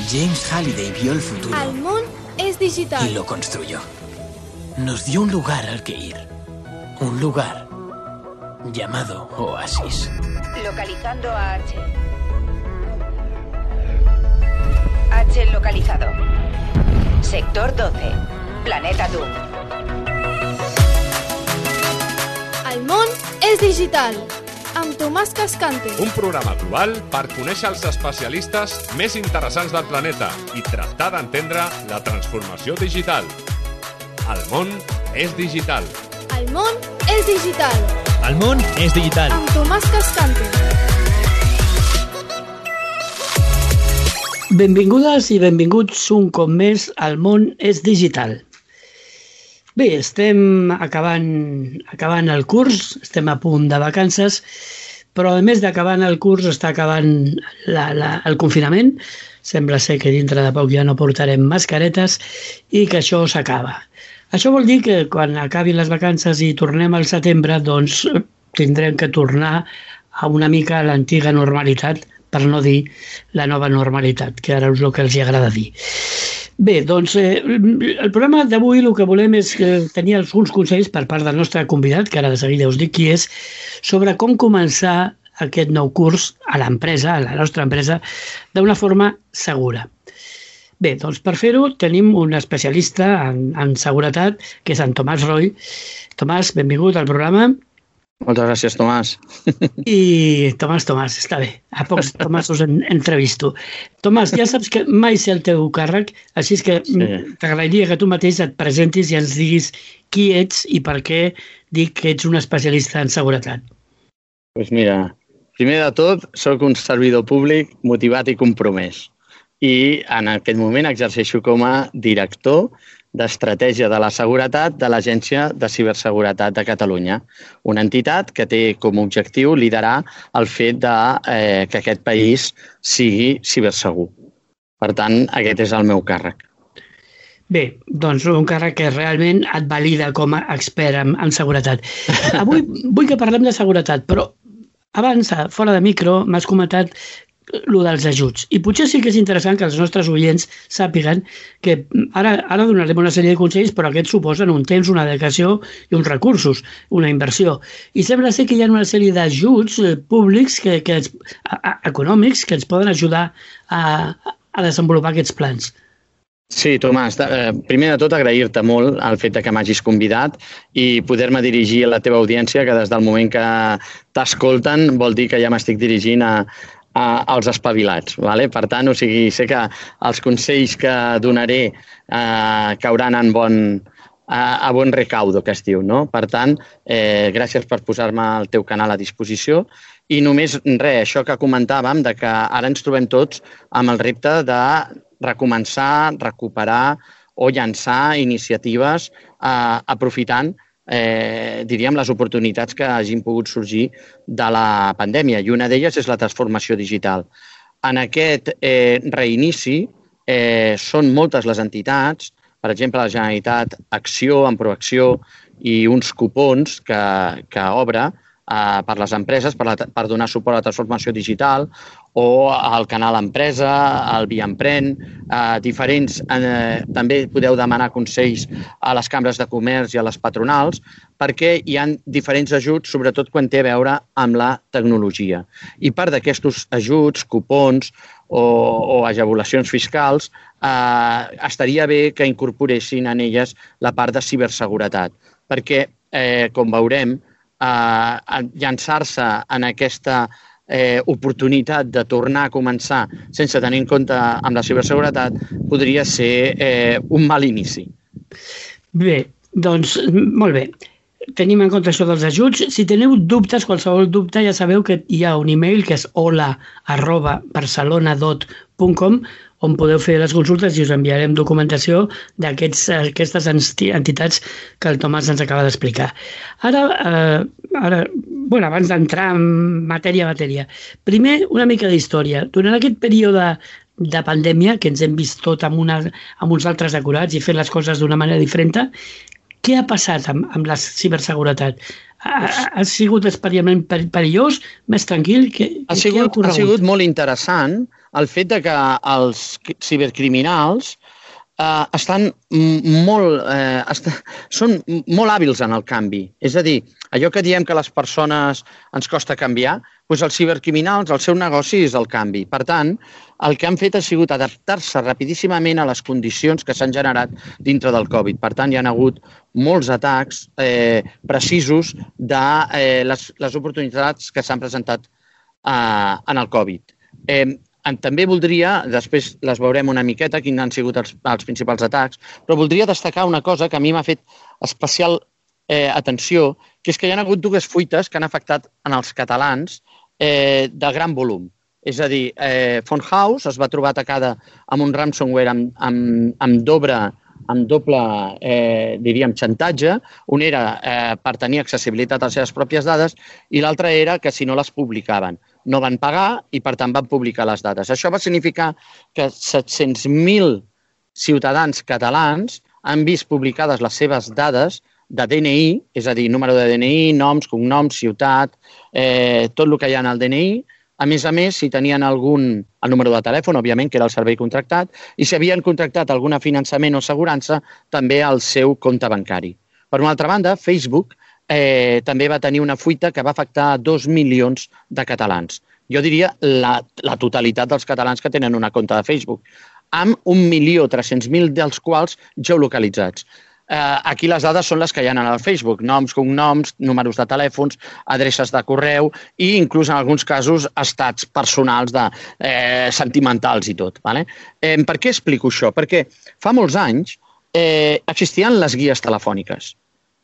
James Halliday vio el futuro. El món es digital. Y lo construyó. Nos dio un lugar al que ir. Un lugar llamado Oasis. Localizando a H. H localizado. Sector 12. Planeta Doom. El món és digital. Amb Tomàs Cascante. Un programa global per conèixer els especialistes més interessants del planeta i tractar d'entendre la transformació digital. El món és digital. El món és digital. El món és digital. Amb Tomàs Cascante. Benvingudes i benvinguts un cop més al món és digital. Bé, estem acabant el curs, estem a punt de vacances, però a més d'acabant el curs està acabant el confinament. Sembla ser que dintre de poc ja no portarem mascaretes i que això s'acaba. Això vol dir que quan acabin les vacances i tornem al setembre, doncs tindrem que tornar a una mica a l'antiga normalitat, per no dir la nova normalitat, que ara és el que els agrada dir. Bé, doncs el programa d'avui el que volem és tenir alguns consells per part del nostre convidat, que ara de seguida us dic qui és, sobre com començar aquest nou curs a l'empresa, a la nostra empresa, d'una forma segura. Bé, doncs per fer-ho tenim un especialista en seguretat, que és en Tomàs Roy. Tomàs, benvingut al programa. Moltes gràcies, Tomàs. I Tomàs, està bé. A pocs Tomàs us entrevisto. Tomàs, ja saps que mai sé el teu càrrec, així és que t'agradaria que tu mateix et presentis i ens diguis qui ets i per què dic que ets un especialista en seguretat. Doncs mira, primer de tot, sóc un servidor públic motivat i compromès. I en aquest moment exerceixo com a director d'Estratègia de la Seguretat de l'Agència de Ciberseguretat de Catalunya, una entitat que té com a objectiu liderar el fet que aquest país sigui cibersegur. Per tant, aquest és el meu càrrec. Bé, doncs un càrrec que realment et valida com a expert en seguretat. Avui vull que parlem de seguretat, però abans, fora de micro, m'has comentat el dels ajuts. I potser sí que és interessant que els nostres oients sàpiguen que ara donarem una sèrie de consells, però aquests suposen un temps, una dedicació i uns recursos, una inversió. I sembla ser que hi ha una sèrie d'ajuts públics econòmics que ens poden ajudar a desenvolupar aquests plans. Sí, Tomàs, primer de tot agrair-te molt el fet que m'hagis convidat i poder-me dirigir a la teva audiència, que des del moment que t'escolten vol dir que ja m'estic dirigint als espavilats. Per tant, sé que els consells que donaré cauran a bon recaudo, que es diu. Per tant, gràcies per posar-me el teu canal a disposició. I només això que comentàvem, que ara ens trobem tots amb el repte de recomençar, recuperar o llançar iniciatives aprofitant diríem, les oportunitats que hagin pogut sorgir de la pandèmia, i una d'elles és la transformació digital. En aquest reinici són moltes les entitats, per exemple, la Generalitat Acció, en Proacció, i uns cupons que obre per les empreses per donar suport a la transformació digital, o al canal Empresa, al Via Emprèn, diferents. També podeu demanar consells a les cambres de comerç i a les patronals, perquè hi ha diferents ajuts, sobretot quan té a veure amb la tecnologia. I part d'aquests ajuts, cupons o ajavulacions fiscals, estaria bé que incorporessin en elles la part de ciberseguretat, perquè, com veurem, llançar-se en aquesta oportunitat de tornar a començar sense tenir en compte amb la ciberseguretat podria ser un mal inici. Bé, doncs molt bé. Tenim en compte això dels ajuts. Si teniu dubtes, qualsevol dubte, ja sabeu que hi ha un e-mail que és hola@barcelona.com, on podeu fer les consultes i us enviarem documentació d'aquestes entitats que el Tomàs ens acaba d'explicar. Ara, abans d'entrar en matèria, primer una mica d'història. Durant aquest període de pandèmia, que ens hem vist tot amb uns altres decorats i fent les coses d'una manera diferent, què ha passat amb la ciberseguretat? Ha sigut especialment perillós, més tranquil? Ha sigut molt interessant el fet de que els cibercriminals són molt hàbils en el canvi. És a dir, allò que diem que les persones ens costa canviar, doncs els cibercriminals, el seu negoci és el canvi. Per tant, el que han fet ha sigut adaptar-se rapidíssimament a les condicions que s'han generat dintre del Covid. Per tant, hi ha hagut molts atacs precisos de les oportunitats que s'han presentat en el Covid. També voldria, després les veurem una miqueta, quins han sigut els principals atacs, però voldria destacar una cosa que a mi m'ha fet especial atenció, que és que hi ha hagut dues fuites que han afectat en els catalans de gran volum. És a dir, Phone House es va trobar atacada amb un ransomware amb doble, diríem, xantatge. Un era per tenir accessibilitat a les seves pròpies dades i l'altre era que si no les publicaven. No van pagar i, per tant, van publicar les dades. Això va significar que 700.000 ciutadans catalans han vist publicades les seves dades de DNI, és a dir, número de DNI, noms, cognoms, ciutat, tot el que hi ha en el DNI. A més, si tenien el número de telèfon, òbviament, que era el servei contractat, i si havien contractat algun finançament o assegurança, també al seu compte bancari. Per una altra banda, Facebook també va tenir una fuita que va afectar 2 milions de catalans. Jo diria la totalitat dels catalans que tenen una compte de Facebook, amb 1.300.000 dels quals geolocalitzats. Aquí les dades són les que hi ha al Facebook, noms, cognoms, números de telèfons, adreces de correu i inclús en alguns casos estats personals sentimentals i tot. Per què explico això? Perquè fa molts anys existien les guies telefòniques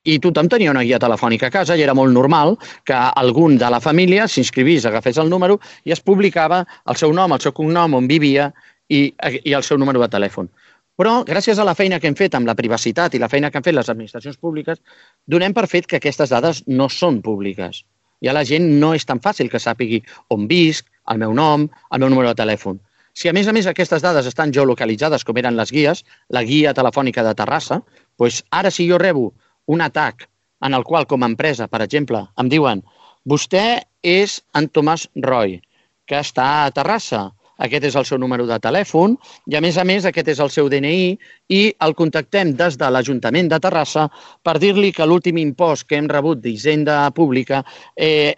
i tothom tenia una guia telefònica a casa i era molt normal que algun de la família s'inscrivís, agafés el número i es publicava el seu nom, el seu cognom, on vivia i el seu número de telèfon. Però, gràcies a la feina que hem fet amb la privacitat i la feina que han fet les administracions públiques, donem per fet que aquestes dades no són públiques. Ja la gent no és tan fàcil que sàpigui on visc, el meu nom, el meu número de telèfon. Si, a més, aquestes dades estan geolocalitzades, com eren les guies, la guia telefònica de Terrassa, doncs ara si jo rebo un atac en el qual, com a empresa, per exemple, em diuen vostè és en Tomàs Roy, que està a Terrassa, aquest és el seu número de telèfon i, a més, aquest és el seu DNI i el contactem des de l'Ajuntament de Terrassa per dir-li que l'últim impost que hem rebut d'Hisenda Pública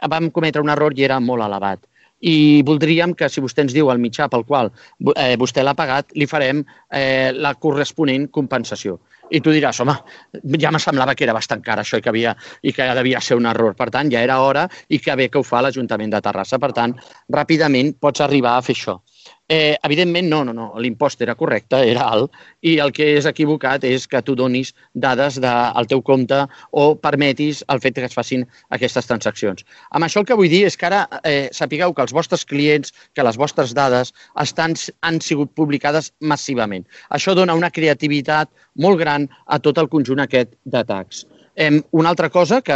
vam cometre un error i era molt elevat. I voldríem que, si vostè ens diu el mitjà pel qual vostè l'ha pagat, li farem la corresponent compensació. I tu diràs, home, ja me semblava que era bastant car això i que devia ser un error. Per tant, ja era hora i que bé que ho fa l'Ajuntament de Terrassa. Per tant, ràpidament pots arribar a fer això. Evidentment, no, l'impost era correcte, era alt, i el que és equivocat és que tu donis dades del teu compte o permetis el fet que es facin aquestes transaccions. Amb això el que vull dir és que ara sapigueu que els vostres clients, que les vostres dades han sigut publicades massivament. Això dona una creativitat molt gran a tot el conjunt aquest d'atacs. Una altra cosa que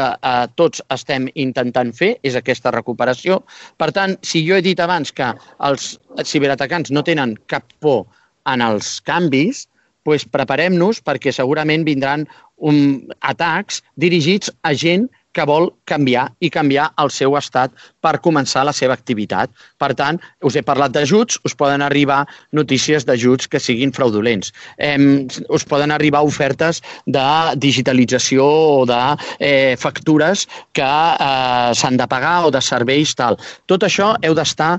tots estem intentant fer és aquesta recuperació. Per tant, si jo he dit abans que els ciberatacants no tenen cap por en els canvis, doncs preparem-nos perquè segurament vindran atacs dirigits a gent que vol canviar i canviar el seu estat per començar la seva activitat. Per tant, us he parlat d'ajuts, us poden arribar notícies d'ajuts que siguin fraudulents. Us poden arribar ofertes de digitalització o de factures que s'han de pagar o de serveis tal. Tot això heu d'estar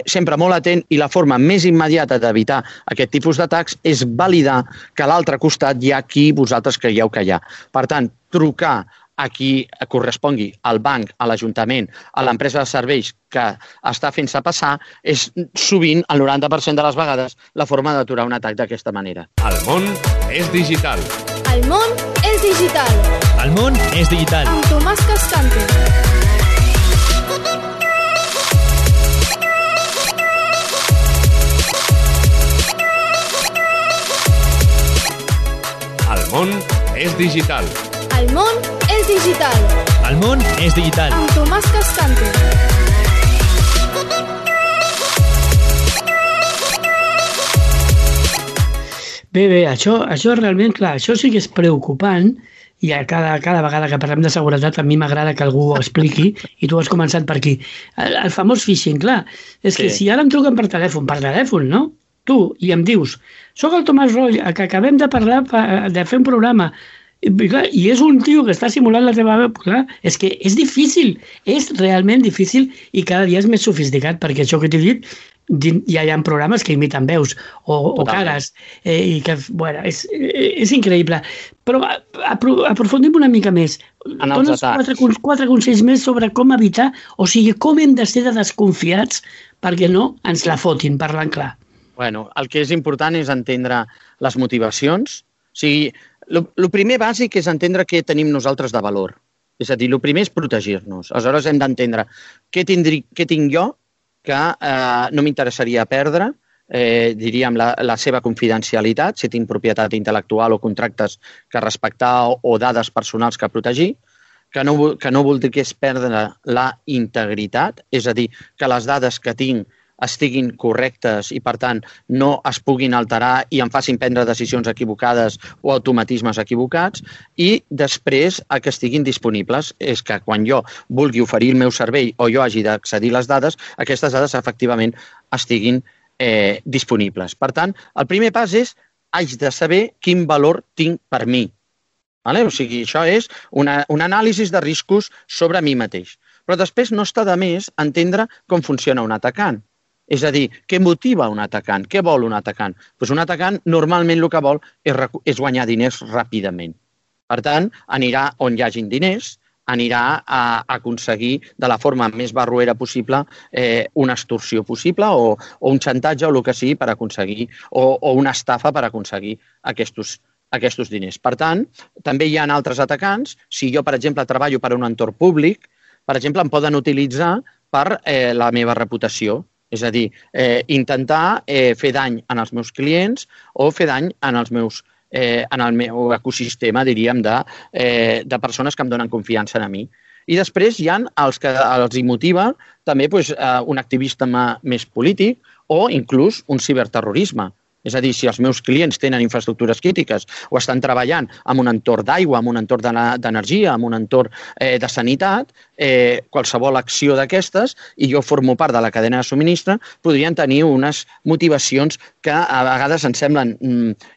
sempre molt atent i la forma més immediata d'evitar aquest tipus d'atacs és validar que a l'altre costat hi ha qui vosaltres creieu que hi ha. Per tant, trucar a qui correspongui, al banc, a l'Ajuntament, a l'empresa de serveis que està fent-se passar, és sovint, el 90% de les vegades, la forma d'aturar un atac d'aquesta manera. El món és digital. El món és digital. El món és digital. Amb Tomàs Cascante. El món és digital. El món és digital. El món és digital. Amb Tomàs Cascante. Bé, això realment, clar, això sí que és preocupant i cada vegada que parlem de seguretat a mi m'agrada que algú ho expliqui i tu has començat per aquí. El famós phishing, clar, és que si ara em truquen per telèfon, no? Tu, i em dius, soc el Tomàs Roig, que acabem de parlar, de fer un programa, i és un tio que està simulant la teva veu, clar, és que és difícil, és realment difícil i cada dia és més sofisticat, perquè això que t'he dit, ja hi ha programes que imiten veus o cares, i que, bueno, és increïble. Però aprofundim una mica més. Dones 4 consells més sobre com evitar, o sigui, com hem de ser de desconfiats perquè no ens la fotin, parlant clar. Bueno, el que és important és entendre les motivacions. O sigui, el primer bàsic és entendre què tenim nosaltres de valor. És a dir, el primer és protegir-nos. Aleshores hem d'entendre què tinc jo que no m'interessaria perdre, diríem, la seva confidencialitat, si tinc propietat intel·lectual o contractes que respectar o dades personals que protegir, que no vol dir que és perdre la integritat, és a dir, que les dades que tinc estiguin correctes i, per tant, no es puguin alterar i em facin prendre decisions equivocades o automatismes equivocats, i després que estiguin disponibles. És que quan jo vulgui oferir el meu servei o jo hagi d'accedir a les dades, aquestes dades efectivament estiguin disponibles. Per tant, el primer pas és haig de saber quin valor tinc per mi. O sigui, això és un anàlisi de riscos sobre mi mateix. Però després no està de més entendre com funciona un atacant. És a dir, què motiva un atacant? Què vol un atacant? Doncs un atacant normalment el que vol és guanyar diners ràpidament. Per tant, anirà on hi hagin diners, anirà a aconseguir de la forma més barroera possible una extorsió possible o un xantatge o el que sigui per aconseguir, o una estafa per aconseguir aquests diners. Per tant, també hi ha altres atacants. Si jo, per exemple, treballo per un entorn públic, per exemple, em poden utilitzar per la meva reputació. És a dir, intentar fer dany en els meus clients o fer dany en el meu ecosistema, diríem, de persones que em donen confiança en mi. I després hi ha els que els motiva també un activisme més polític o inclús un ciberterrorisme. És a dir, si els meus clients tenen infraestructures crítiques o estan treballant en un entorn d'aigua, en un entorn d'energia, en un entorn de sanitat, qualsevol acció d'aquestes, i jo formo part de la cadena de subministre, podrien tenir unes motivacions que a vegades ens semblen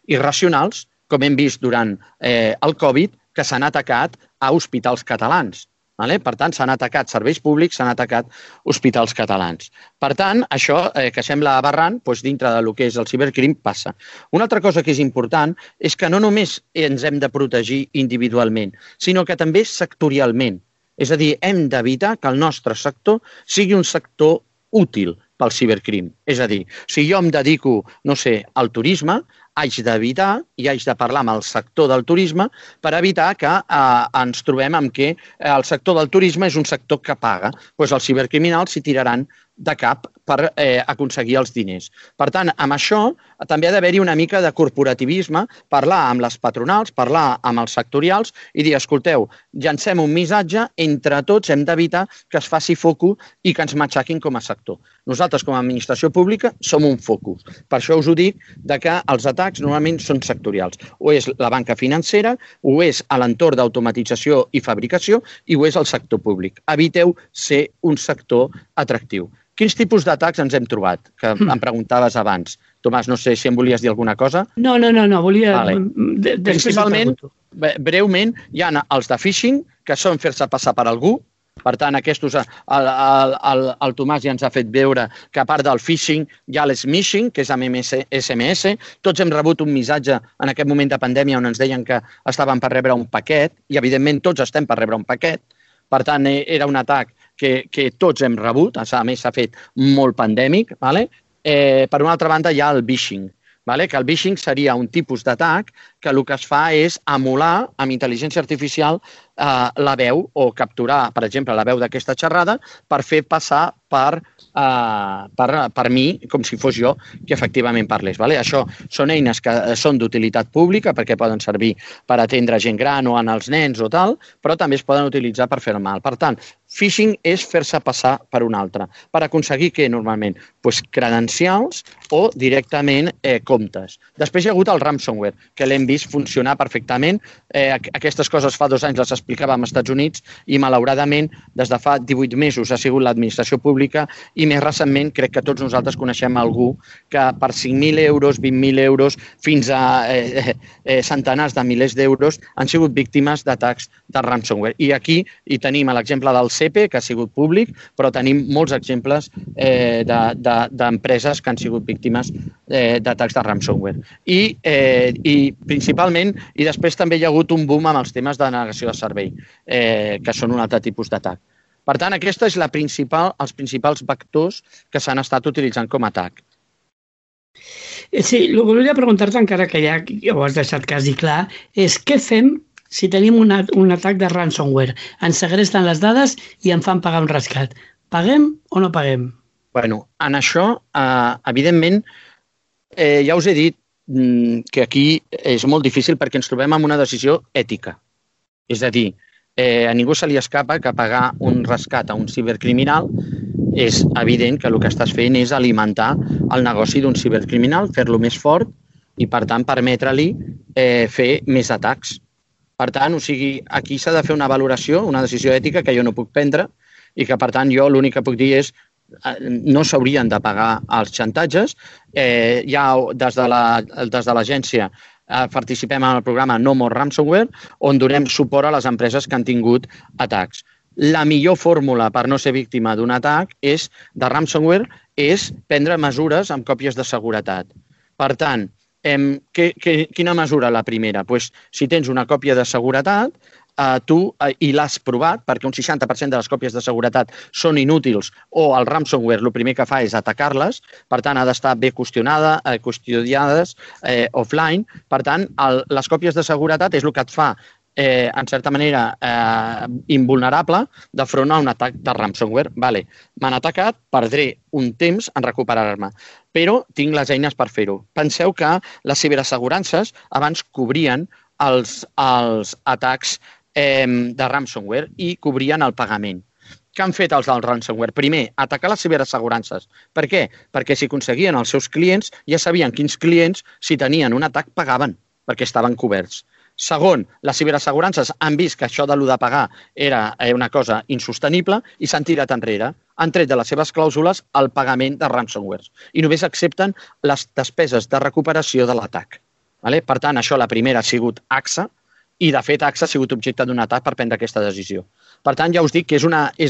irracionals, com hem vist durant el Covid, que s'han atacat a hospitals catalans. Per tant, s'han atacat serveis públics, s'han atacat hospitals catalans. Per tant, això que sembla aberrant, dintre del que és el cibercrim, passa. Una altra cosa que és important és que no només ens hem de protegir individualment, sinó que també sectorialment. És a dir, hem d'evitar que el nostre sector sigui un sector útil pel cibercrim. És a dir, si jo em dedico, no sé, al turisme, haig d'evitar i haig de parlar amb el sector del turisme per evitar que ens trobem amb que el sector del turisme és un sector que paga. Doncs els cibercriminals s'hi tiraran de cap per aconseguir els diners. Per tant, amb això també ha d'haver-hi una mica de corporativisme, parlar amb les patronals, parlar amb els sectorials i dir, escolteu, llancem un missatge, entre tots hem d'evitar que es faci foco i que ens matxaquin com a sector. Nosaltres, com a administració pública, som un focus. Per això us ho dic, que els atacs normalment són sectorials. O és la banca financera, o és a l'entorn d'automatització i fabricació, i o és el sector públic. Eviteu ser un sector atractiu. Quins tipus d'atacs ens hem trobat? Que em preguntaves abans. Tomàs, no sé si em volies dir alguna cosa. No, volia... Principalment, breument, hi ha els de phishing, que són fer-se passar per algú. Per tant, aquests, el Tomàs ja ens ha fet veure que a part del phishing hi ha l'smishing, que és amb SMS. Tots hem rebut un missatge en aquest moment de pandèmia on ens deien que estàvem per rebre un paquet, i evidentment tots estem per rebre un paquet. Per tant, era un atac que tots hem rebut, a més s'ha fet molt pandèmic. Per una altra banda hi ha el phishing, que el phishing seria un tipus d'atac que el que es fa és emular amb intel·ligència artificial la veu o capturar, per exemple, la veu d'aquesta xerrada per fer passar per mi, com si fos jo que efectivament parlés. Això són eines que són d'utilitat pública perquè poden servir per atendre gent gran o en els nens o tal, però també es poden utilitzar per fer el mal. Per tant, phishing és fer-se passar per un altre, per aconseguir què normalment? Credencials o directament comptes. Després hi ha hagut el ransomware, que l'hem vist funcionar perfectament. Aquestes coses fa 2 anys les explicàvem als Estats Units i, malauradament, des de fa 18 mesos ha sigut l'administració pública i, més recentment, crec que tots nosaltres coneixem algú que per 5.000 euros, 20.000 euros, fins a centenars de milers d'euros han sigut víctimes d'atacs de ransomware. I aquí hi tenim l'exemple del CEPE, que ha sigut públic, però tenim molts exemples d'empreses que han sigut víctimes d'atacs de ransomware. I principalment, i després també hi ha hagut un boom amb els temes de negació de servei, que són un altre tipus d'atac. Per tant, aquesta és els principals vectors que s'han estat utilitzant com a atac. Sí, el que volia preguntar-te, encara que ja ho has deixat quasi clar, és què fem si tenim un atac de ransomware? Ens segresten les dades i em fan pagar un rescat. Paguem o no paguem? Bueno, en això, evidentment, ja us he dit que aquí és molt difícil perquè ens trobem amb una decisió ètica. És a dir, a ningú se li escapa que pagar un rescat a un cibercriminal és evident que el que estàs fent és alimentar el negoci d'un cibercriminal, fer-lo més fort i, per tant, permetre-li fer més atacs. Per tant, aquí s'ha de fer una valoració, una decisió ètica que jo no puc prendre i que, per tant, jo l'únic que puc dir és no s'haurien de pagar els xantatges. Ja des de l'agència participem en el programa No More Ransomware, on donem suport a les empreses que han tingut atacs. La millor fórmula per no ser víctima d'un atac de ransomware és prendre mesures amb còpies de seguretat. Per tant, quina mesura la primera? Si tens una còpia de seguretat, tu i l'has provat, perquè un 60% de les còpies de seguretat són inútils o el ransomware el primer que fa és atacar-les, per tant ha d'estar bé custodiades offline. Per tant, les còpies de seguretat és el que et fa en certa manera invulnerable de front a un atac de ransomware. M'han atacat, perdré un temps en recuperar-me, però tinc les eines per fer-ho. Penseu que les ciberassegurances abans cobrien els atacs de ransomware i cobrien el pagament. Què han fet els del ransomware? Primer, atacar les ciberassegurances. Per què? Perquè si aconseguien els seus clients, ja sabien quins clients, si tenien un atac, pagaven, perquè estaven coberts. Segon, les ciberassegurances han vist que això de l'ho de pagar era una cosa insostenible i s'han tirat enrere. Han tret de les seves clàusules el pagament de ransomware i només accepten les despeses de recuperació de l'atac. Per tant, això la primera ha sigut AXA i, de fet, AXA ha sigut objecte d'un atac per prendre aquesta decisió. Per tant, ja us dic que és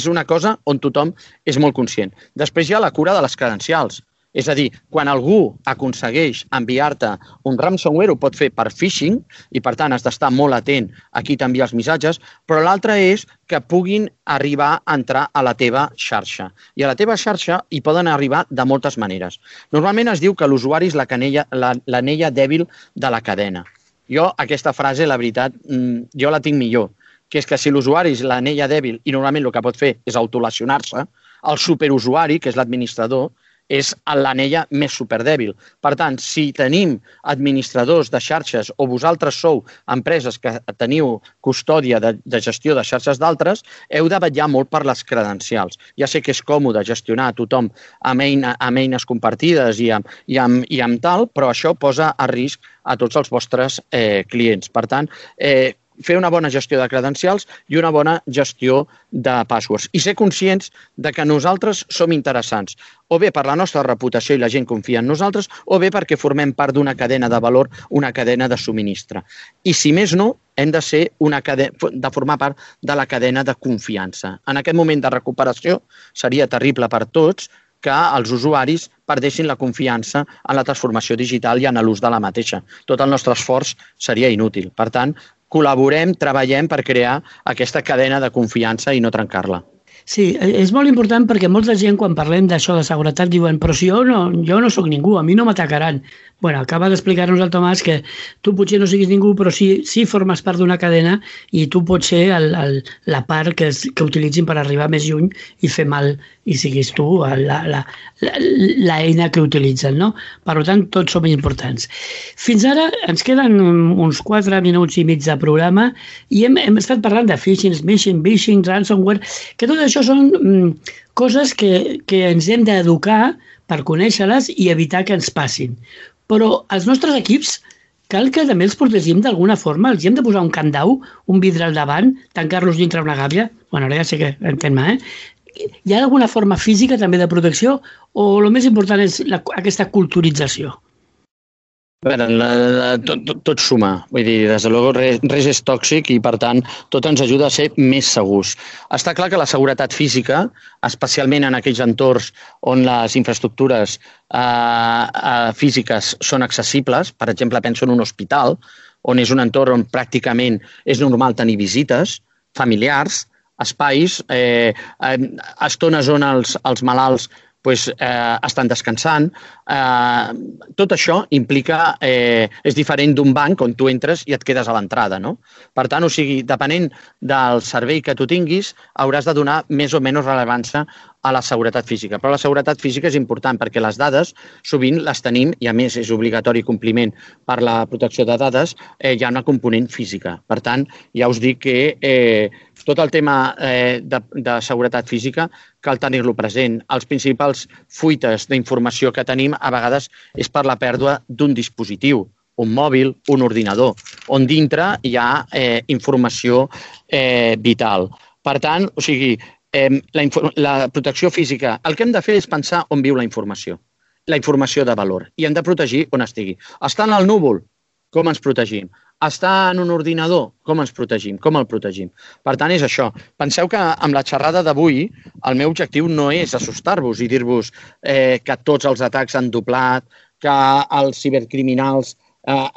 una cosa on tothom és molt conscient. Després hi ha la cura de les credencials. És a dir, quan algú aconsegueix enviar-te un ransomware, ho pot fer per phishing i, per tant, has d'estar molt atent a qui t'envia els missatges, però l'altre és que puguin arribar a entrar a la teva xarxa. I a la teva xarxa hi poden arribar de moltes maneres. Normalment es diu que l'usuari és l'anella dèbil de la cadena. Jo, aquesta frase, la veritat, jo la tinc millor, que és que si l'usuari és l'anella dèbil i normalment el que pot fer és autolesionar-se, el superusuari, que és l'administrador, és l'anella més superdèbil. Per tant, si tenim administradors de xarxes o vosaltres sou empreses que teniu custòdia de gestió de xarxes d'altres, heu de vetllar molt per les credencials. Ja sé que és còmode gestionar a tothom amb eines compartides i amb tal, però això posa a risc a tots els vostres clients. Per tant, fer una bona gestió de credencials i una bona gestió de passwords. I ser conscients de que nosaltres som interessants, o bé per la nostra reputació i la gent confia en nosaltres, o bé perquè formem part d'una cadena de valor, una cadena de subministre. I si més no, hem de formar part de la cadena de confiança. En aquest moment de recuperació seria terrible per tots que els usuaris perdessin la confiança en la transformació digital i en l'ús de la mateixa. Tot el nostre esforç seria inútil. Per tant, col·laborem, treballem per crear aquesta cadena de confiança i no trencar-la. Sí, és molt important perquè molta gent quan parlem d'això de seguretat diuen però si jo no sóc ningú, a mi no m'atacaran. Bueno, acaba d'explicar-nos el Tomàs que tu potser no siguis ningú però sí formes part d'una cadena i tu pots ser la part que utilitzin per arribar més lluny i fer mal i siguis tu l'eina que utilitzen, no? Per tant, tots som importants. Fins ara ens queden uns 4 minuts i mig de programa i hem estat parlant de phishing, smishing, ransomware, que tot això són coses que ens hem d'educar per conèixer-les i evitar que ens passin. Però els nostres equips cal que també els protegim d'alguna forma. Els hi hem de posar un candau, un vidre al davant, tancar-los dintre una gàbia. Bueno, ara ja sé que entén-me, Hi ha alguna forma física també de protecció o el més important és aquesta culturització? A veure, tot suma. Vull dir, des de luego, res és tòxic i, per tant, tot ens ajuda a ser més segurs. Està clar que la seguretat física, especialment en aquells entorns on les infraestructures físiques són accessibles, per exemple, penso en un hospital, on és un entorn on pràcticament és normal tenir visites familiars, espais, estones on els malalts estan descansant. Tot això implica, és diferent d'un banc on tu entres i et quedes a l'entrada, no? Per tant, o sigui, depenent del servei que tu tinguis, hauràs de donar més o menys rellevància a la seguretat física. Però la seguretat física és important perquè les dades sovint les tenim, i a més és obligatori compliment per la protecció de dades, hi ha una component física. Per tant, ja us dic que tot el tema de seguretat física cal tenir-lo present. Els principals fuites d'informació que tenim a vegades és per la pèrdua d'un dispositiu, un mòbil, un ordinador, on dintre hi ha informació vital. Per tant, o sigui, la protecció física, el que hem de fer és pensar on viu la informació de valor, i hem de protegir on estigui. Està en el núvol? Com ens protegim? Està en un ordinador? Com ens protegim? Com el protegim? Per tant, és això. Penseu que amb la xerrada d'avui el meu objectiu no és assustar-vos i dir-vos que tots els atacs han doblat, que els cibercriminals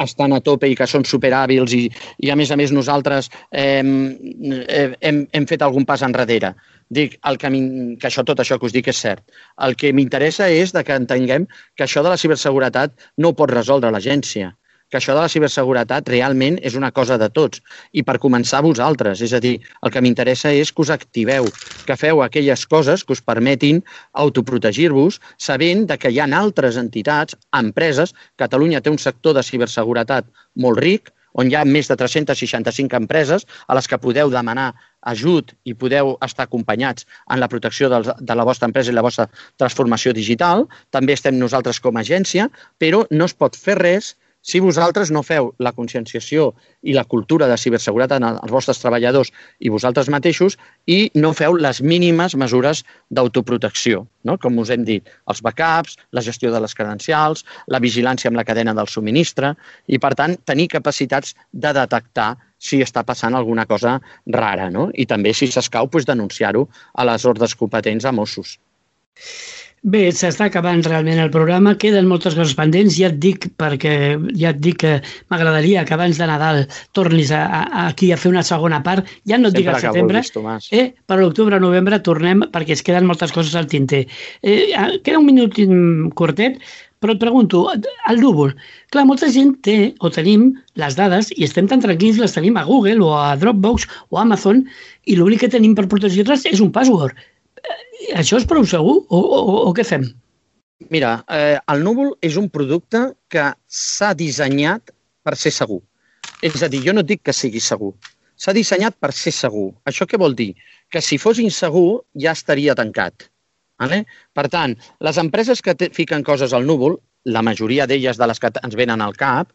estan a tope i que són superhàbils i a més nosaltres hem fet algun pas enrere. Dic que tot això que us dic és cert. El que m'interessa és que entenguem que això de la ciberseguretat no ho pot resoldre l'agència, que això de la ciberseguretat realment és una cosa de tots i per començar vosaltres. És a dir, el que m'interessa és que us activeu, que feu aquelles coses que us permetin autoprotegir-vos sabent que hi ha altres entitats, empreses. Catalunya té un sector de ciberseguretat molt ric, on hi ha més de 365 empreses a les que podeu demanar ajut i podeu estar acompanyats en la protecció de la vostra empresa i la vostra transformació digital. També estem nosaltres com a agència, però no es pot fer res si vosaltres no feu la conscienciació i la cultura de ciberseguretat als vostres treballadors i vosaltres mateixos i no feu les mínimes mesures d'autoprotecció, no? Com us hem dit, els backups, la gestió de les credencials, la vigilància amb la cadena del subministre i, per tant, tenir capacitats de detectar si està passant alguna cosa rara, no? I també, si s'escau, denunciar-ho a les ordres competents a Mossos. Bé, s'està acabant realment el programa, queden moltes coses pendents, ja et dic que m'agradaria que abans de Nadal tornis aquí a fer una segona part, ja no et dic al setembre, per l'octubre-novembre tornem perquè es queden moltes coses al tinter. Queda un minut curtet, però et pregunto, el núvol, clar, molta gent té o tenim les dades i estem tan tranquils, les tenim a Google o a Dropbox o a Amazon i l'únic que tenim per protegir-les és un password. Això és prou segur o què fem? Mira, el núvol és un producte que s'ha dissenyat per ser segur. És a dir, jo no dic que sigui segur. S'ha dissenyat per ser segur. Això què vol dir? Que si fos insegur ja estaria tancat. Per tant, les empreses que fiquen coses al núvol, la majoria d'elles de les que ens venen al cap,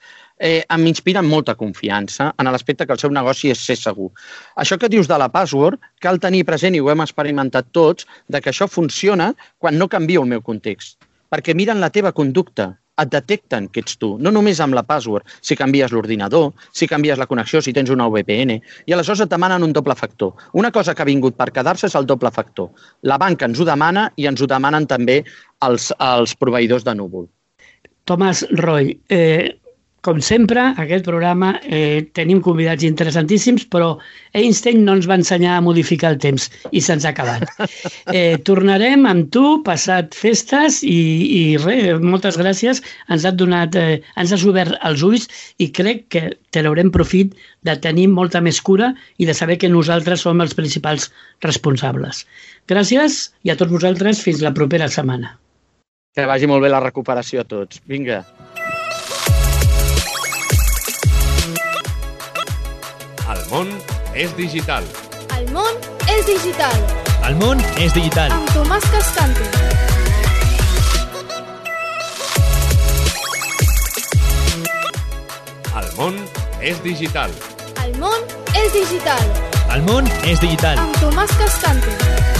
m'inspiren molta confiança en l'aspecte que el seu negoci és ser segur. Això que dius de la password, cal tenir present, i ho hem experimentat tots, que això funciona quan no canvio el meu context. Perquè miren la teva conducta, et detecten que ets tu, no només amb la password, si canvies l'ordinador, si canvies la connexió, si tens una VPN, i aleshores et demanen un doble factor. Una cosa que ha vingut per quedar-se és el doble factor. La banca ens ho demana i ens ho demanen també els proveïdors de núvol. Tomàs Roy, com sempre, aquest programa tenim convidats interessantíssims, però Einstein no ens va ensenyar a modificar el temps i se'ns ha acabat. Tornarem amb tu, passat festes i res, moltes gràcies. Ens has obert els ulls i crec que traurem profit de tenir molta més cura i de saber que nosaltres som els principals responsables. Gràcies i a tots vosaltres fins la propera setmana. Que vagi molt bé la recuperació a tots. Vinga. El món és digital. El món és digital. El món és digital. Amb Tomàs Cascante. món és digital. El món és digital. El món és digital. Amb Tomàs Cascante.